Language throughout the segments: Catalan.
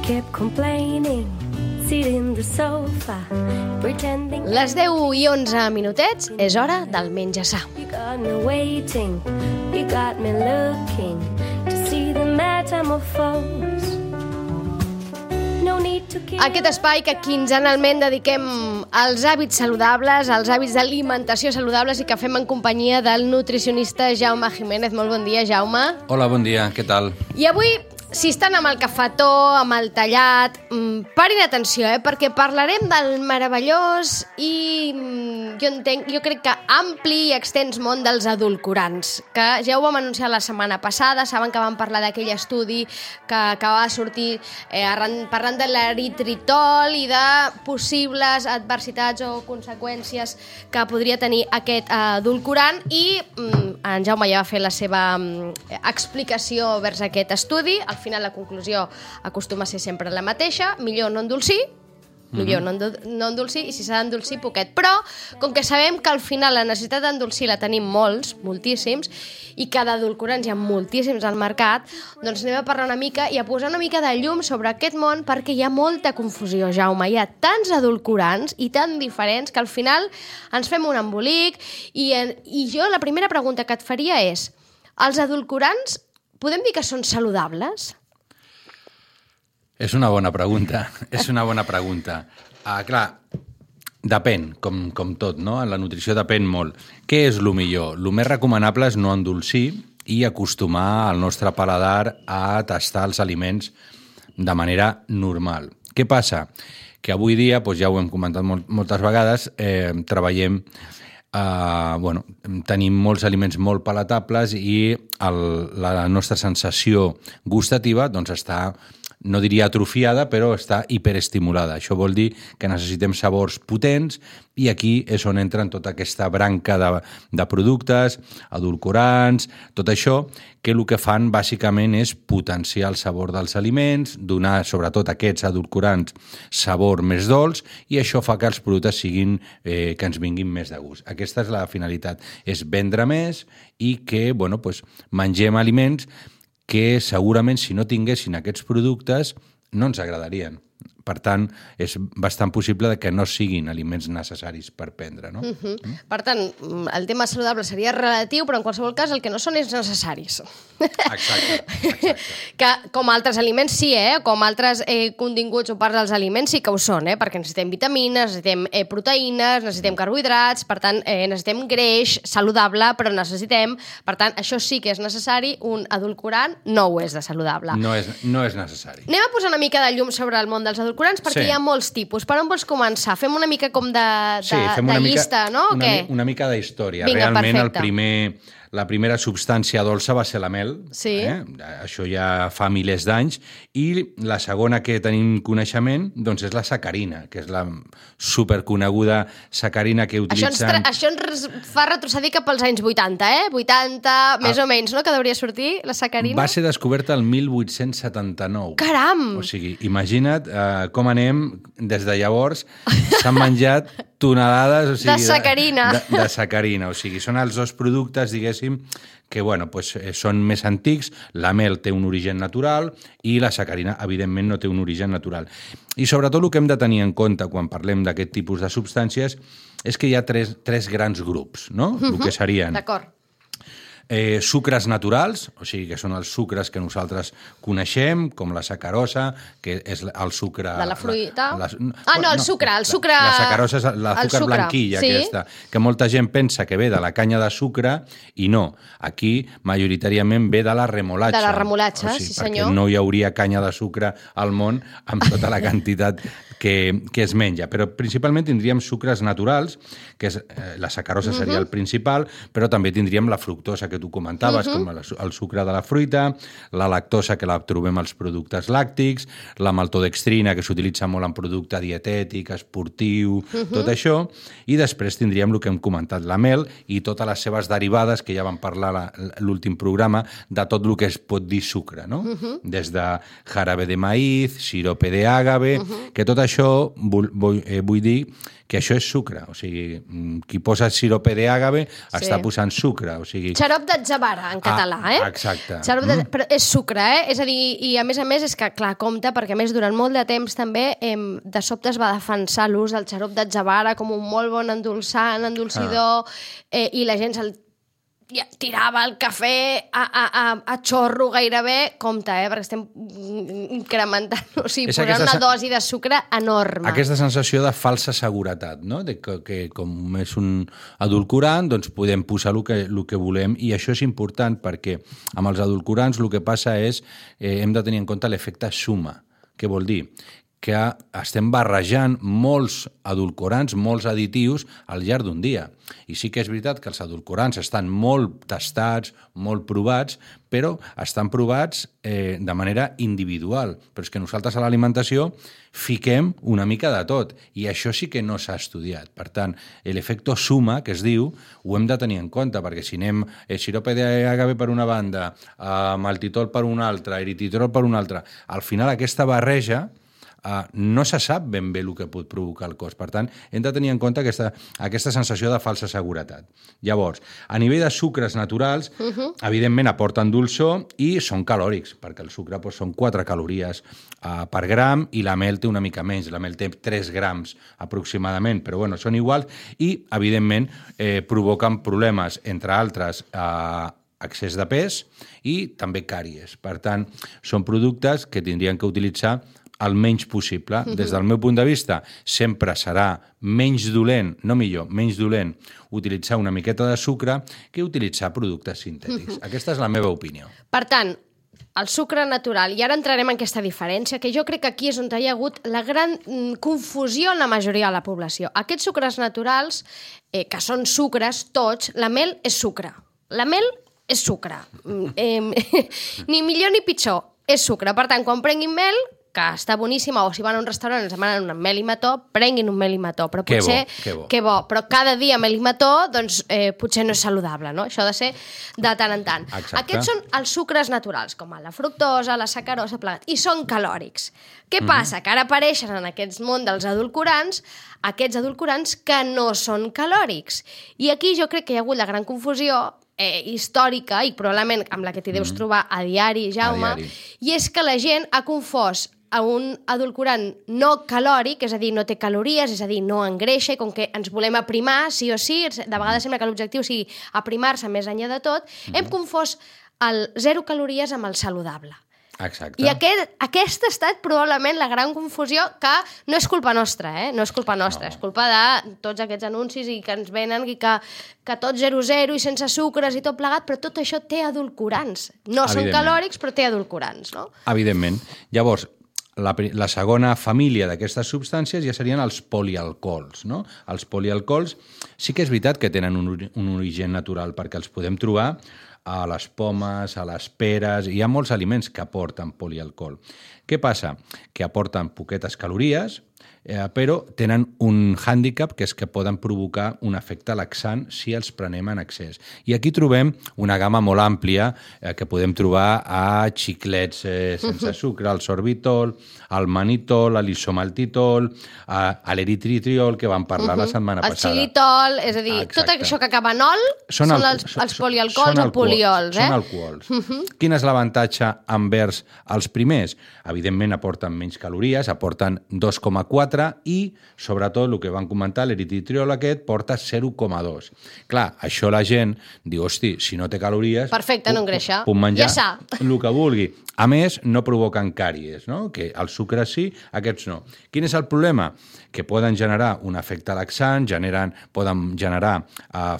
kept complaining, sitting the sofa, pretending. Les 10 i 11 minutets és hora del menjar-sa. You got me waiting, you got me looking to see the metamorphose. No need to care. Aquest espai que quinzenalment dediquem als hàbits saludables, als hàbits d'alimentació saludables i que fem en companyia del nutricionista Jaume Jiménez. Molt bon dia, Jaume. Hola, bon dia, què tal? I avui, si estan amb el cafetó, amb el tallat, parin atenció, perquè parlarem del meravellós i jo crec que ampli i extens món dels edulcorants, que ja ho vam anunciar la setmana passada. Saben que vam parlar d'aquell estudi que va sortir parlant de l'eritritol i de possibles adversitats o conseqüències que podria tenir aquest edulcorant, i en Jaume ja va fer la seva explicació vers aquest estudi. Al final la conclusió acostuma a ser sempre la mateixa: millor no endolcir, no endolcir, i si s'ha d'endolcir, poquet. Però, com que sabem que al final la necessitat d'endolcir la tenim moltíssims, i que d'edulcorants hi ha moltíssims al mercat, doncs anem a parlar una mica i a posar una mica de llum sobre aquest món, perquè hi ha molta confusió, Jaume. Hi ha tants edulcorants i tan diferents que al final ens fem un embolic, i jo la primera pregunta que et faria és: els edulcorants podem dir que són saludables? És una bona pregunta, Clar, depèn, com tot, no? En la nutrició depèn molt. Què és el millor? El més recomanable és no endolcir i acostumar el nostre paladar a tastar els aliments de manera normal. Què passa? Que avui dia, doncs ja ho hem comentat moltes vegades, treballem, tenim molts aliments molt palatables i la nostra sensació gustativa doncs està, no diria atrofiada, però està hiperestimulada. Això vol dir que necessitem sabors potents, i aquí és on entren tota aquesta branca de productes, edulcorants, tot això, que el que fan bàsicament és potenciar el sabor dels aliments, donar sobretot aquests edulcorants sabor més dolç, i això fa que els productes siguin, que ens vinguin més de gust. Aquesta és la finalitat, és vendre més i que mengem aliments que segurament si no tinguessin aquests productes no ens agradarien. Per tant, és bastant possible que no siguin aliments necessaris per prendre, no? Per tant, el tema saludable seria relatiu, però en qualsevol cas el que no són és necessaris. Exacte. Que com altres aliments sí, com altres continguts o parts dels aliments sí que ho són, perquè necessitem vitamines, necessitem proteïnes, necessitem carbohidrats, per tant, necessitem greix saludable, però necessitem, per tant, això sí que és necessari. Un edulcorant no ho és de saludable. No és necessari. Anem a posar una mica de llum sobre el món dels edulcorants, perquè hi ha molts tipus. Per on vols començar? Fem una mica com de llista, no? Una mica de història. Vinga, realment perfecte. La primera substància dolça va ser la mel. Sí. Això ja fa milers d'anys. I la segona que tenim coneixement doncs és la sacarina, que és la superconeguda sacarina que utilitzen... Això ens fa retrocedir cap als anys 80, 80, més o menys, no?, que hauria sortir la sacarina. Va ser descoberta el 1879. Caram! O sigui, imagina't com anem des de llavors. S'han menjat tonelades, de sacarina. De sacarina. O sigui, són els dos productes, diguéssim, que són més antics. La mel té un origen natural i la sacarina, evidentment, no té un origen natural. I sobretot el que hem de tenir en compte quan parlem d'aquest tipus de substàncies és que hi ha tres grans grups, no? El que serien... D'acord. Sucres naturals, o sigui que són els sucres que nosaltres coneixem, com la sacarosa, que és el sucre... De la fruita? El sucre... La sacarosa és l'azúcar blanquilla, sí? Aquesta, que molta gent pensa que ve de la canya de sucre, i no. Aquí, majoritàriament, ve de la remolatxa. De la remolatxa, sí senyor. Perquè no hi hauria canya de sucre al món amb tota la quantitat que es menja. Però principalment tindríem sucres naturals, que la sacarosa seria el principal, però també tindríem la fructosa, que tu comentaves, com el sucre de la fruita, la lactosa, que la trobem als productes làctics, la maltodextrina, que s'utilitza molt en producte dietètic, esportiu, tot això, i després tindríem el que hem comentat, la mel i totes les seves derivades, que ja vam parlar l'últim programa, de tot el que es pot dir sucre, no? Des de jarabe de maíz, sirope de àgave, que tot això vull dir que això és sucre. O sigui, qui posa sirope d'àgave està posant sucre. O sigui... Xarop d'atzavara, en català, Exacte. Però és sucre, És a dir, i a més, és que, clar, compte, perquè a més durant molt de temps també de sobte es va defensar l'ús del xarop d'atzavara com un molt bon endolçant, endolcidor, i la gent se'l tirava el cafè a xorro gairebé, compte, perquè estem incrementant, o sigui, posant una dosi de sucre enorme. Aquesta sensació de falsa seguretat, no? De que com és un edulcorant, doncs podem posar el que volem, i això és important perquè amb els edulcorants el que passa és hem de tenir en compte l'efecte suma. Què vol dir? Que estem barrejant molts edulcorants, molts additius al llarg d'un dia. I sí que és veritat que els edulcorants estan molt tastats, molt provats, però estan provats de manera individual. Però és que nosaltres a l'alimentació fiquem una mica de tot, i això sí que no s'ha estudiat. Per tant, l'efecte suma, que es diu, ho hem de tenir en compte, perquè si anem sirope d'agave per una banda, maltitol per una altra, eritritol per una altra, al final aquesta barreja no se sap ben bé el que pot provocar el cos. Per tant, hem de tenir en compte aquesta sensació de falsa seguretat. Llavors, a nivell de sucres naturals, evidentment aporten dolçor i són calòrics, perquè el sucre són 4 calories per gram i la mel té una mica menys. La mel té 3 grams aproximadament, però bueno, són iguals i, evidentment, provoquen problemes, entre altres, excés de pes i també càries. Per tant, són productes que tindrien que utilitzar el menys possible. Des del meu punt de vista, sempre serà menys dolent, no millor, menys dolent utilitzar una miqueta de sucre que utilitzar productes sintètics. Aquesta és la meva opinió. Per tant, el sucre natural, i ara entrarem en aquesta diferència, que jo crec que aquí és on hi ha hagut la gran confusió en la majoria de la població. Aquests sucres naturals, que són sucres tots, la mel és sucre. La mel és sucre. Ni millor ni pitjor, és sucre. Per tant, quan prenguin mel, que està boníssima, o si van a un restaurant i ens demanen un mel i mató, prenguin un mel i mató, però potser... Que bo. Però cada dia mel i mató, doncs potser no és saludable, no? Això ha de ser de tant en tant. Exacte. Aquests són els sucres naturals, com la fructosa, la sacarosa, plegat, i són calòrics. Què passa? Que ara apareixen en aquest món dels edulcorants, aquests edulcorants que no són calòrics. I aquí jo crec que hi ha hagut la gran confusió històrica, i probablement amb la que t'hi deus trobar a diari, Jaume, i és que la gent ha confós a un edulcorant no calòric, és a dir, no té calories, és a dir, no engreixa, i com que ens volem aprimar, sí o sí, de vegades sembla que l'objectiu sigui aprimar-se més enllà de tot, hem confós el 0 calories amb el saludable. Exacte. I aquesta ha estat probablement la gran confusió, que no és culpa nostra, no és culpa nostra, és culpa de tots aquests anuncis i que ens venen i que tot 0,0 i sense sucres i tot plegat, però tot això té edulcorants. No són calòrics, però té edulcorants, no? Evidentment. Llavors, la segona família d'aquestes substàncies ja serien els polialcohols, no? Els polialcohols sí que és veritat que tenen un origen natural, perquè els podem trobar a les pomes, a les peres, hi ha molts aliments que aporten polialcohol. Què passa? Que aporten poquetes calories, però tenen un hàndicap, que és que poden provocar un efecte laxant si els prenem en excés. I aquí trobem una gamma molt àmplia que podem trobar a xiclets sense sucre, el sorbitol, el manitol, l'isomaltitol, l'eritritriol, que vam parlar la setmana passada. El xilitol, és a dir, tot això que acaba en ol són els polialcohols o poliols. Són alcohols. Quin és l'avantatge envers els primers? Evidentment aporten menys calories, aporten 2,4, i, sobretot, el que van comentar, l'eritritriol aquest porta 0,2. Clar, això la gent diu, hosti, si no té calories... Perfecte, no engreixa. Puc menjar ja el que vulgui. A més, no provoquen càries, no? Que els sucres sí, aquests no. Quin és el problema? Que poden generar un efecte laxant, poden generar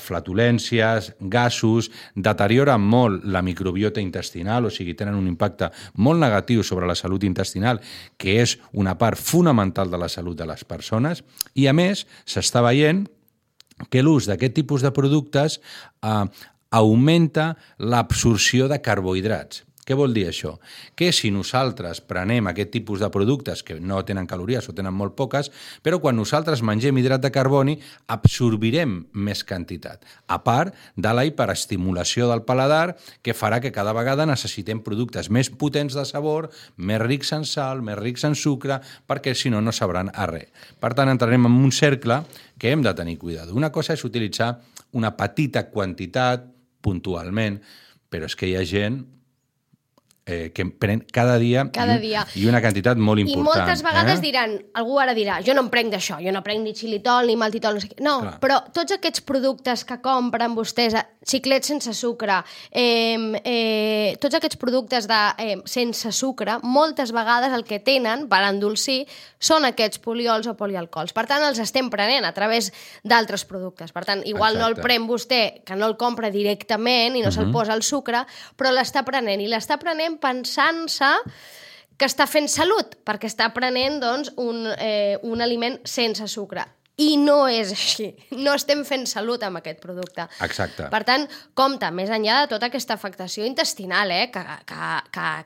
flatulències, gasos, deterioren molt la microbiota intestinal, o sigui, tenen un impacte molt negatiu sobre la salut intestinal, que és una part fonamental de la salut de les persones, i a més s'està veient que l'ús d'aquest tipus de productes augmenta l'absorció de carbohidrats. Què vol dir això? Que si nosaltres prenem aquest tipus de productes que no tenen calories o tenen molt poques, però quan nosaltres mengem hidrat de carboni absorbirem més quantitat, a part de la hiperestimulació del paladar, que farà que cada vegada necessitem productes més potents de sabor, més rics en sal, més rics en sucre, perquè si no, no sabran a res. Per tant, entrarem en un cercle que hem de tenir cuidado. Una cosa és utilitzar una petita quantitat puntualment, però és que hi ha gent que pren cada dia i una quantitat molt important. I moltes vegades diran, algú ara dirà, jo no em prenc d'això, jo no prenc ni xilitol ni maltitol, no sé què. No, clar. Però tots aquests productes que compren vostès, xiclets sense sucre, tots aquests productes sense sucre, moltes vegades el que tenen per endolcir són aquests poliols o polialcohols. Per tant, els estem prenent a través d'altres productes. Per tant, igual no el pren vostè, que no el compra directament i no se'l posa el sucre, però l'està prenent, i l'està prenent pensant-se que està fent salut, perquè està prenent doncs, un aliment sense sucre. I no és així. No estem fent salut amb aquest producte. Exacte. Per tant, compte, més enllà de tota aquesta afectació intestinal, que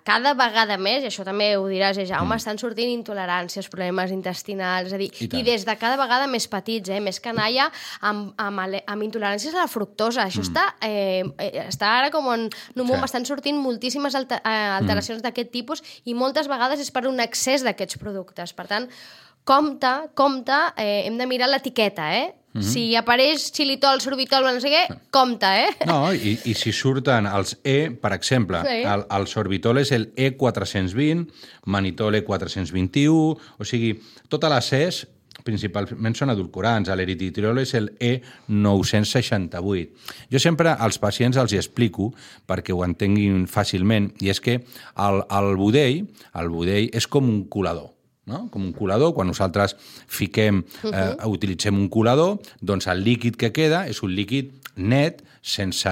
cada vegada més, i això també ho diràs, Jaume, estan sortint intoleràncies, problemes intestinals, és a dir, i des de cada vegada més petits, més canalla, amb intoleràncies a la fructosa. Això està ara com en un moment estan sortint moltíssimes alteracions d'aquest tipus i moltes vegades és per un excés d'aquests productes. Per tant, compte, hem de mirar l'etiqueta, Si apareix xilitol, sorbitol, no sé què, compte, No, i si surten els per exemple, el sorbitol és el E420, manitol E421, o sigui, totes les E's principalment són edulcorants. L'eritritol és el E968. Jo sempre als pacients els hi explico, perquè ho entenguin fàcilment, i és que el budell és com un colador. No? Com un colador, quan nosaltres utilitzem un colador, doncs el líquid que queda és un líquid net, sense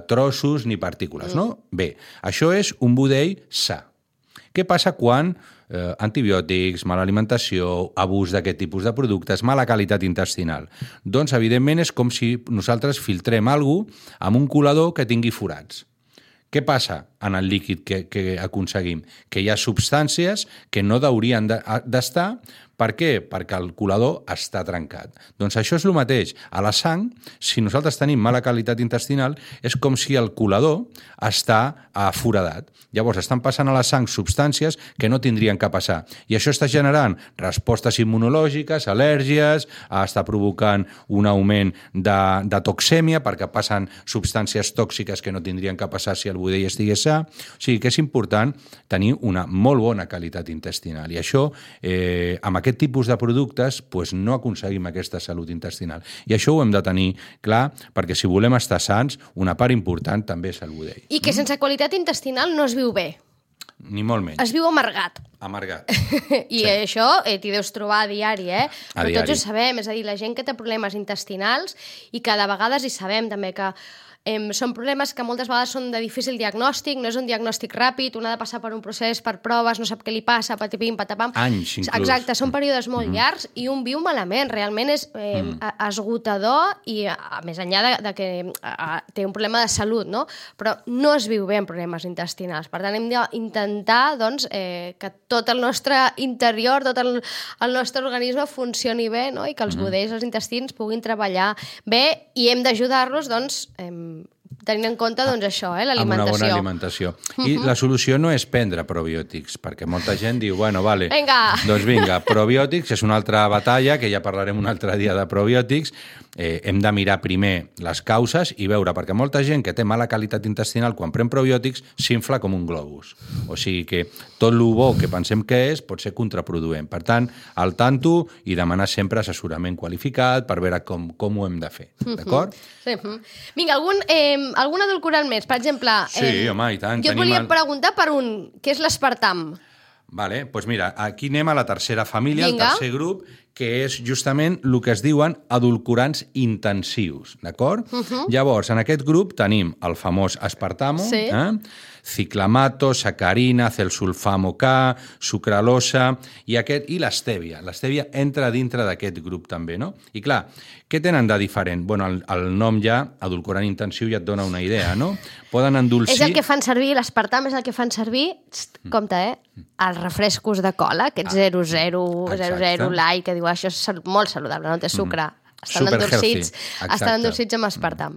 trossos ni partícules. No? Bé, això és un budell sa. Què passa quan antibiòtics, mala alimentació, abús d'aquest tipus de productes, mala qualitat intestinal? Doncs, evidentment, és com si nosaltres filtrem alguna cosa amb un colador que tingui forats. Què passa en el líquid que aconseguim? Que hi ha substàncies que no haurien d'estar. Per què? Perquè el colador està trencat. Doncs això és el mateix. A la sang, si nosaltres tenim mala qualitat intestinal, és com si el colador està foradat. Llavors estan passant a la sang substàncies que no tindrien que passar. I això està generant respostes immunològiques, al·lèrgies, està provocant un augment de toxèmia, perquè passen substàncies tòxiques que no tindrien que passar si el budell estigués sa. O sigui que és important tenir una molt bona qualitat intestinal. I això, amb aquest tipus de productes, no aconseguim aquesta salut intestinal. I això ho hem de tenir clar, perquè si volem estar sants, una part important també és el budell. I que sense qualitat intestinal no es viu bé. Ni molt menys. Es viu amargat. Amargat. I això t'hi deus trobar a diari, Però tots ho sabem, és a dir, la gent que té problemes intestinals i que de vegades hi sabem també que són problemes que moltes vegades són de difícil diagnòstic, no és un diagnòstic ràpid, un ha de passar per un procés, per proves, no sap què li passa, patipim, patapam. Anys, inclús. Exacte, són períodes molt llargs i un viu malament, realment és esgotador i més enllà de que té un problema de salut, no? Però no es viu bé amb problemes intestinals. Per tant, hem d'intentar que tot el nostre interior, tot el nostre organisme funcioni bé, no? I que els budells, els intestins puguin treballar bé i hem d'ajudar-los, tenint en compte això, l'alimentació. Amb una bona alimentació. I la solució no és prendre probiòtics, perquè molta gent diu, vale, doncs vinga, probiòtics és una altra batalla, que ja parlarem un altre dia de probiòtics. Hem de mirar primer les causes i veure, perquè molta gent que té mala qualitat intestinal quan pren probiòtics s'infla com un globus. O sigui que tot el bo que pensem que és pot ser contraproduent. Per tant, al tanto i demanar sempre assessorament qualificat per veure com ho hem de fer. D'acord? Sí. Vinga, algun edulcorant més? Per exemple, sí, home, i tant. Jo et volia preguntar per què és l'espartam. Vale, doncs mira, aquí anem a la tercera família, el tercer grup, que és justament el que es diuen edulcorants intensius, d'acord? Llavors, en aquest grup tenim el famós aspartamo, ciclamato, sacarina, celsulfamo K, sucralosa i l'estèvia. L'estèvia entra dintre d'aquest grup també, no? I clar, què tenen de diferent? Bueno, el nom ja, edulcorant intensiu, ja et dona una idea, no? Poden endolcir... És el que fan servir, l'espartam és el que fan servir, compte, els refrescos de cola, aquests 00 light, que diu això és molt saludable, no té sucre. Estan endolcits amb aspartam.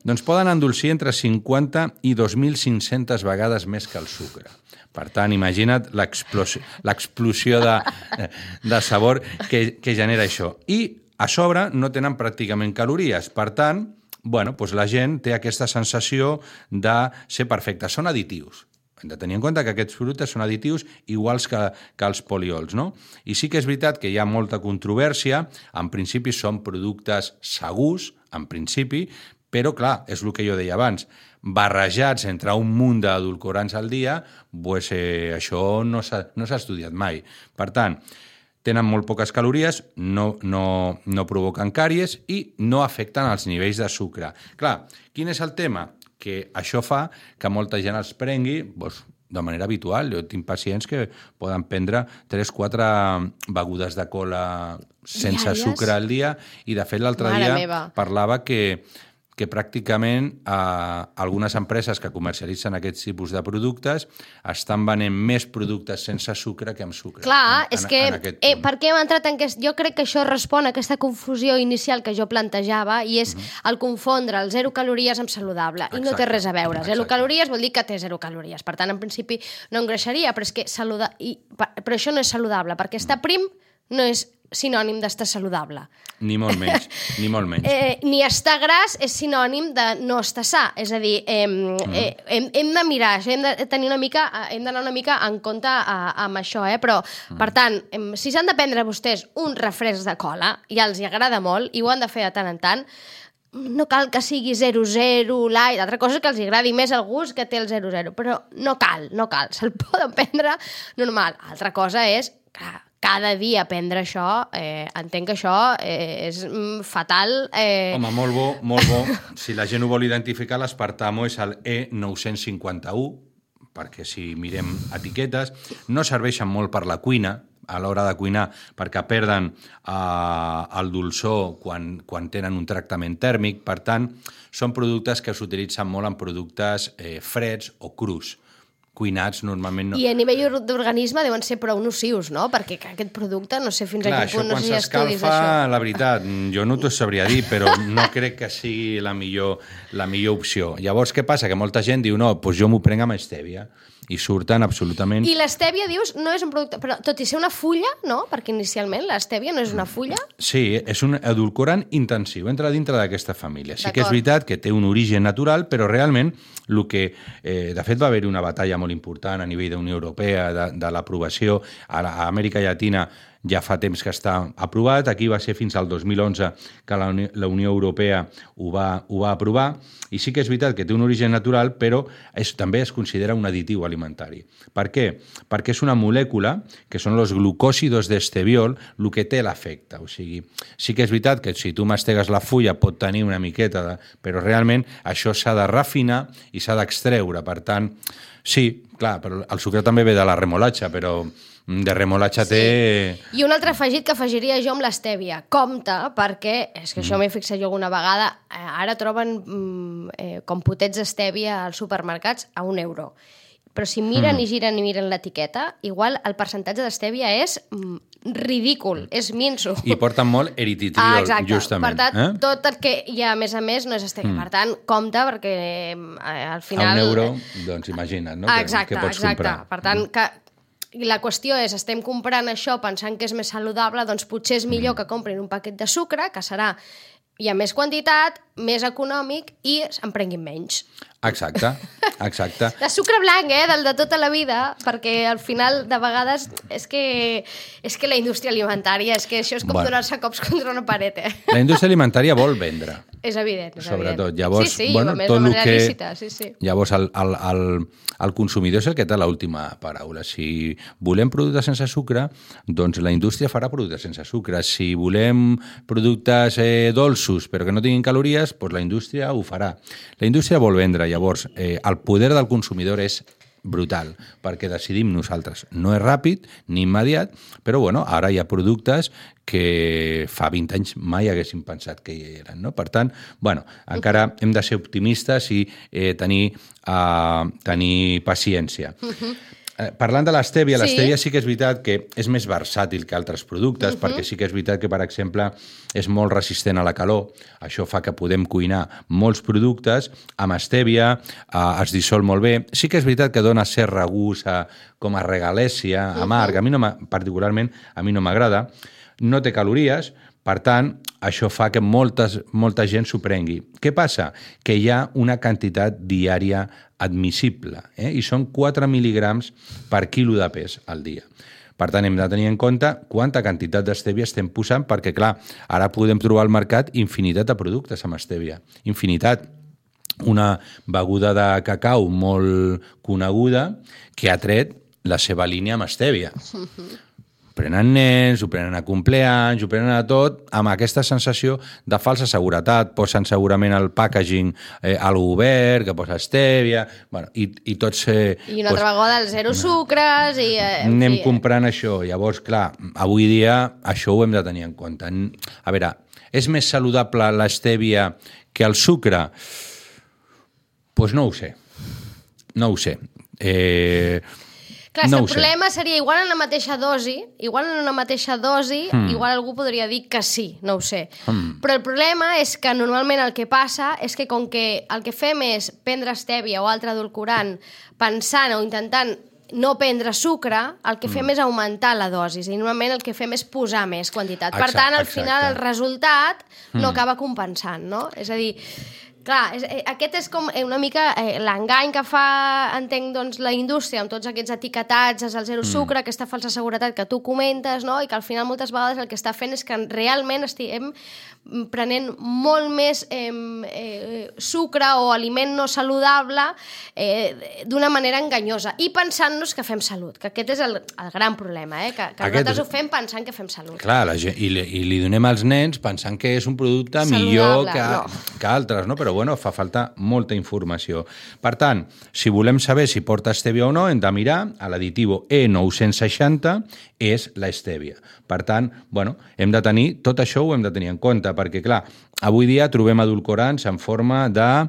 Doncs poden endolcir entre 50 i 2.500 vegades més que el sucre. Per tant, imagina't l'explosió de sabor que genera això. I a sobre no tenen pràcticament calories. Per tant, bueno, doncs la gent té aquesta sensació de ser perfecta. Són additius. Hem de tenir en compte que aquests productes són additius iguals que els poliols, no? I sí que és veritat que hi ha molta controvèrsia, en principi són productes segurs, en principi, però clar, és el que jo deia abans, barrejats entre un munt d'edulcorants al dia, doncs, això no s'ha estudiat mai. Per tant, tenen molt poques calories, no provoquen càries i no afecten els nivells de sucre. Clar, quin és el tema? Que això fa que molta gent els prengui doncs, de manera habitual. Jo tinc pacients que poden prendre 3-4 begudes de cola sense sucre al dia i, de fet, l'altre dia parlava que pràcticament algunes empreses que comercialitzen aquests tipus de productes estan venent més productes sense sucre que amb sucre. Clar, és que per què hem entrat en jo crec que això respon a aquesta confusió inicial que jo plantejava i és el confondre el 0 calories amb saludable. I no té res a veure. 0 calories vol dir que té 0 calories. Per tant, en principi no engreixaria, però és que però això no és saludable, perquè estar prim no és sinònim d'estar saludable. Ni molt menys, ni molt menys. Ni estar gras és sinònim de no estar sa. És a dir, hem de mirar això, hem d'anar una mica en compte amb això, però, per tant, si s'han de prendre vostès un refresc de cola, i els hi agrada molt, i ho han de fer de tant en tant, no cal que sigui 0-0, light, altra cosa és que els agradi més el gust que té el 0-0, però no cal, se'l poden prendre normal. Altra cosa és, clar, cada dia prendre això, entenc que això és fatal. Home, molt bo. Si la gent ho vol identificar, l'aspartamo és el E951, perquè si mirem etiquetes, no serveixen molt per la cuina, a l'hora de cuinar, perquè perden el dolçor quan tenen un tractament tèrmic. Per tant, són productes que s'utilitzen molt en productes freds o crus. Cuinats normalment no. I a nivell d'organisme deuen ser prou nocius, no? Perquè aquest producte, no sé fins a quin punt, no sé si hi ha estudis d'això. Clar, la veritat, jo no t'ho sabria dir, però no crec que sigui la millor opció. Llavors, què passa? Que molta gent diu, no, doncs jo m'ho prenc amb estèvia. I surten absolutament... I l'estèvia, dius, no és un producte... Però tot i ser una fulla, no? Perquè inicialment l'estèvia no és una fulla. Sí, és un edulcorant intensiu, entra dintre d'aquesta família. Sí que és veritat que té un origen natural, però realment el que... de fet, va haver-hi una batalla molt important a nivell d'Unió Europea, de l'aprovació. A Amèrica Llatina ja fa temps que està aprovat. Aquí va ser fins al 2011 que la Unió Europea ho va aprovar. I sí que és veritat que té un origen natural, però també es considera un additiu alimentari. Per què? Perquè és una molècula, que són els glucòsidos d'esteviol, el que té l'efecte. O sigui, sí que és veritat que si tu mastegues la fulla pot tenir una miqueta, però realment això s'ha de refinar i s'ha d'extreure. Per tant, sí, clar, però el sucre també ve de la remolatxa, però de remolatxa té... I un altre afegit que afegiria jo amb l'estèvia. Compte, perquè, és que això m'he fixat jo alguna vegada, ara troben com potets d'estèvia als supermercats a €1. Però si miren i giren i miren l'etiqueta, igual el percentatge d'estèvia és ridícul, és minso. I porten molt eritritol, justament. Per tant, tot el que hi ha, a més, no és estèvia. Per tant, compte, perquè al final... A €1, doncs imagina't, no? Exacte. Per tant, que la qüestió és, estem comprant això pensant que és més saludable, doncs potser és millor que comprin un paquet de sucre, que serà hi ha més quantitat, més econòmic i en prenguin menys. Exacte. De sucre blanc, del de tota la vida, perquè al final, de vegades, és que la indústria alimentària, és que això és com donar-se cops contra una paret, La indústria alimentària vol vendre. És evident, sobretot. Llavors, sí, bueno, tot el que... lícita, sí. Llavors, el consumidor és el que té l'última paraula. Si volem productes sense sucre, doncs la indústria farà productes sense sucre. Si volem productes dolços però que no tinguin calories, doncs la indústria ho farà. La indústria vol vendre. Llavors, el poder del consumidor és brutal, perquè decidim nosaltres. No és ràpid ni immediat, però bueno, ara hi ha productes que fa 20 anys mai haguéssim pensat que hi eren, no? Per tant, bueno, encara hem de ser optimistes i tenir paciència. Parlant de l'estèvia, l'estèvia sí que és veritat que és més versàtil que altres productes, perquè sí que és veritat que, per exemple, és molt resistent a la calor. Això fa que podem cuinar molts productes amb estèvia, es dissol molt bé. Sí que és veritat que dona cert regust com a regalèssia, amarg. Particularment, a mi no m'agrada. No té calories, per tant, això fa que molta gent s'ho prengui. Què passa? Que hi ha una quantitat diària admissible, i són 4 mil·lígrams per quilo de pes al dia. Per tant, hem de tenir en compte quanta quantitat d'estèvia estem posant, perquè, clar, ara podem trobar al mercat infinitat de productes amb estèvia. Infinitat. Una beguda de cacau molt coneguda que ha tret la seva línia amb estèvia. Prenen nens, ho prenen a compleanys, ho prenen a tot, amb aquesta sensació de falsa seguretat. Posen segurament el packaging al obert, que posa estèvia, bueno, i tots... I una altra vegada el zero sucres... Anem comprant això. Llavors, clar, avui dia això ho hem de tenir en compte. A veure, és més saludable l'estèvia que el sucre? Doncs no ho sé. No ho sé. Clar, el problema seria, igual en la mateixa dosi, igual algú podria dir que sí, no ho sé. Però el problema és que normalment el que passa és que com que el que fem és prendre estèvia o altre edulcorant pensant o intentant no prendre sucre, el que fem és augmentar la dosi i normalment el que fem és posar més quantitat. Per tant, al final el resultat no acaba compensant, no? És a dir, clar, aquest és com una mica l'engany que fa, entenc, doncs, la indústria amb tots aquests etiquetatges, el zero sucre, aquesta falsa seguretat que tu comentes, no? I que al final moltes vegades el que està fent és que realment estiguem prenent molt més sucre o aliment no saludable d'una manera enganyosa i pensant-nos que fem salut, que aquest és el gran problema, que nosaltres ho fem pensant que fem salut. Clar, i li donem als nens pensant que és un producte millor que altres, no? Però bueno, fa falta molta informació. Per tant, si volem saber si porta estèvia o no, hem de mirar a l'additiu E960 és l'estèvia. Per tant, bueno, hem de tenir, tot això ho hem de tenir en compte, perquè, clar, avui dia trobem edulcorants en forma de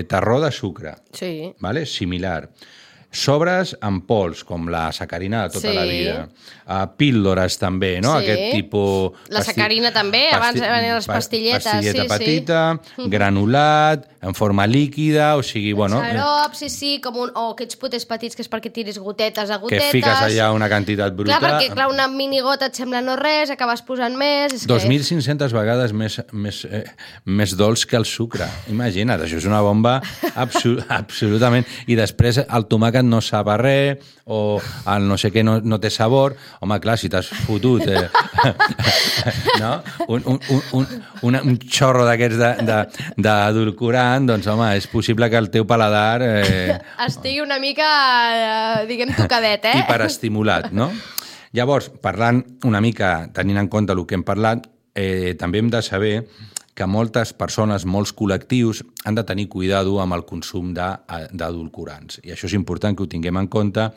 terró de sucre, vale? Similar. Sobres en pols, com la sacarina de tota la vida. Píldores també, no? Aquest tipus... La sacarina també, abans eren les pastilletes. Pastilleta petita, granulat, en forma líquida, o sigui, bueno... Xarop, o aquests potets petits que és perquè tiris gotetes a gotetes. Que fiques allà una quantitat bruta. Clar, perquè una minigota et sembla no res, acabes posant més... 2.500 vegades més dolç que el sucre. Imagina't, això és una bomba absolutament. I després el tomàquet no sap a res, o el no sé què no té sabor. Home, clar, si t'has fotut no? un xorro d'aquests d'edulcorant, doncs, home, és possible que el teu paladar... estigui una mica, diguem, tocadet, hiperestimulat, no? Llavors, parlant una mica, tenint en compte el que hem parlat, també hem de saber que moltes persones, molts col·lectius han de tenir cuidado amb el consum d'edulcorants. I això és important que ho tinguem en compte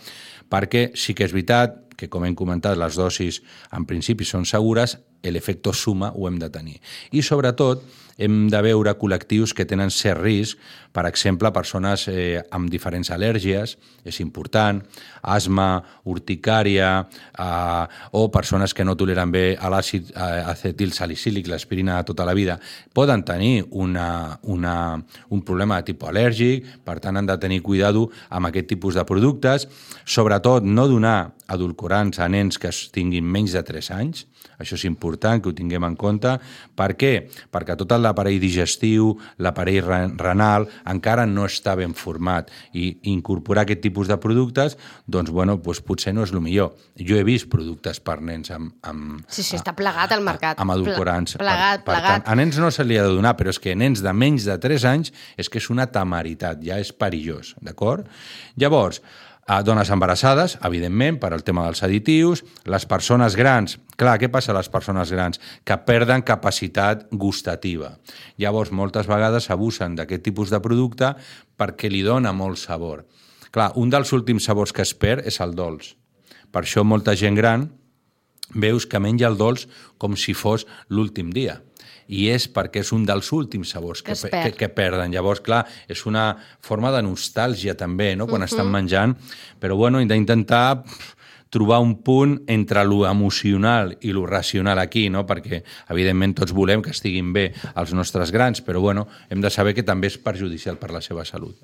perquè sí que és veritat que, com hem comentat, les dosis en principi són segures, l'efecte suma ho hem de tenir. I sobretot hem de veure col·lectius que tenen cert risc, per exemple, persones amb diferents al·lèrgies, és important, asma, urticària, o persones que no toleren bé l'àcid acetilsalicílic, l'aspirina de tota la vida, poden tenir un problema de tipus al·lèrgic, per tant han de tenir cuidado amb aquest tipus de productes, sobretot no donar edulcorants a nens que tinguin menys de 3 anys, això és important que ho tinguem en compte. Per què? Perquè tot l'aparell digestiu, l'aparell renal, encara no està ben format i incorporar aquest tipus de productes, doncs, bueno, potser no és el millor. Jo he vist productes per nens amb... Sí, està plegat al mercat. Amb edulcorants. Plegat. Tant, a nens no se li ha de donar, però és que nens de menys de 3 anys és que és una temeritat, ja és perillós, d'acord? Llavors, dones embarassades, evidentment, per al tema dels additius, les persones grans, clar, què passa a les persones grans? Que perden capacitat gustativa. Llavors, moltes vegades abusen d'aquest tipus de producte perquè li dona molt sabor. Clar, un dels últims sabors que es perd és el dolç. Per això molta gent gran veus que menja el dolç com si fos l'últim dia. I és perquè és un dels últims sabors que perden. Llavors, clar, és una forma de nostàlgia també, no?, quan estan menjant, però bueno, hem d'intentar trobar un punt entre lo emocional i lo racional aquí, no?, perquè evidentment tots volem que estiguin bé els nostres grans, però bueno, hem de saber que també és perjudicial per la seva salut.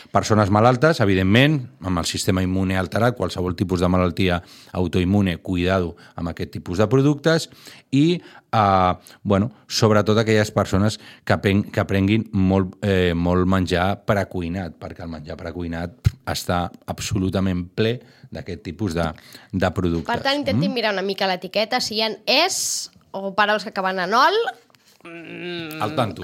Persones malaltes, evidentment, amb el sistema immune alterat, qualsevol tipus de malaltia autoimmune, cuidado amb aquest tipus de productes, i sobretot aquelles persones que prenguin molt menjar precuinat, perquè el menjar precuinat està absolutament ple d'aquest tipus de productes. Per tant, intentin mirar una mica l'etiqueta, si hi ha es o paraules que acaben en ol, Al tanto.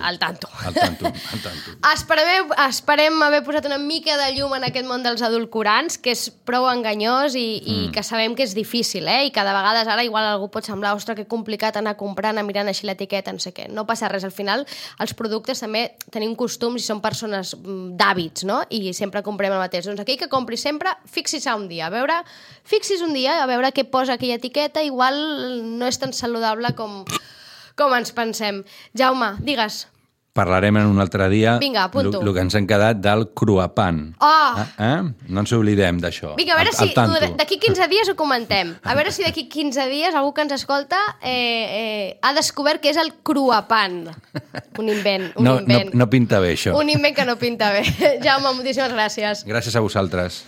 Esperem haver posat una mica de llum en aquest món dels edulcorants, que és prou enganyós i que sabem que és difícil, i que de vegades ara igual algú pot semblar, ostres, que complicat anar comprant, anar mirant així l'etiqueta, no sé què. No passa res, al final els productes també tenim costums i són persones d'hàbits, no? I sempre comprem el mateix. Doncs aquell que compri sempre, fixis un dia, a veure què posa aquella etiqueta, igual no és tan saludable com ens pensem. Jaume, digues. Parlarem en un altre dia. Vinga, apunto. El que ens hem quedat del cruapan. No ens oblidem d'això. Vinga, a veure si d'aquí 15 dies ho comentem. A veure si d'aquí 15 dies algú que ens escolta ha descobert què és el cruapan. Un invent. No pinta bé, això. Un invent que no pinta bé. Jaume, moltíssimes gràcies. Gràcies a vosaltres.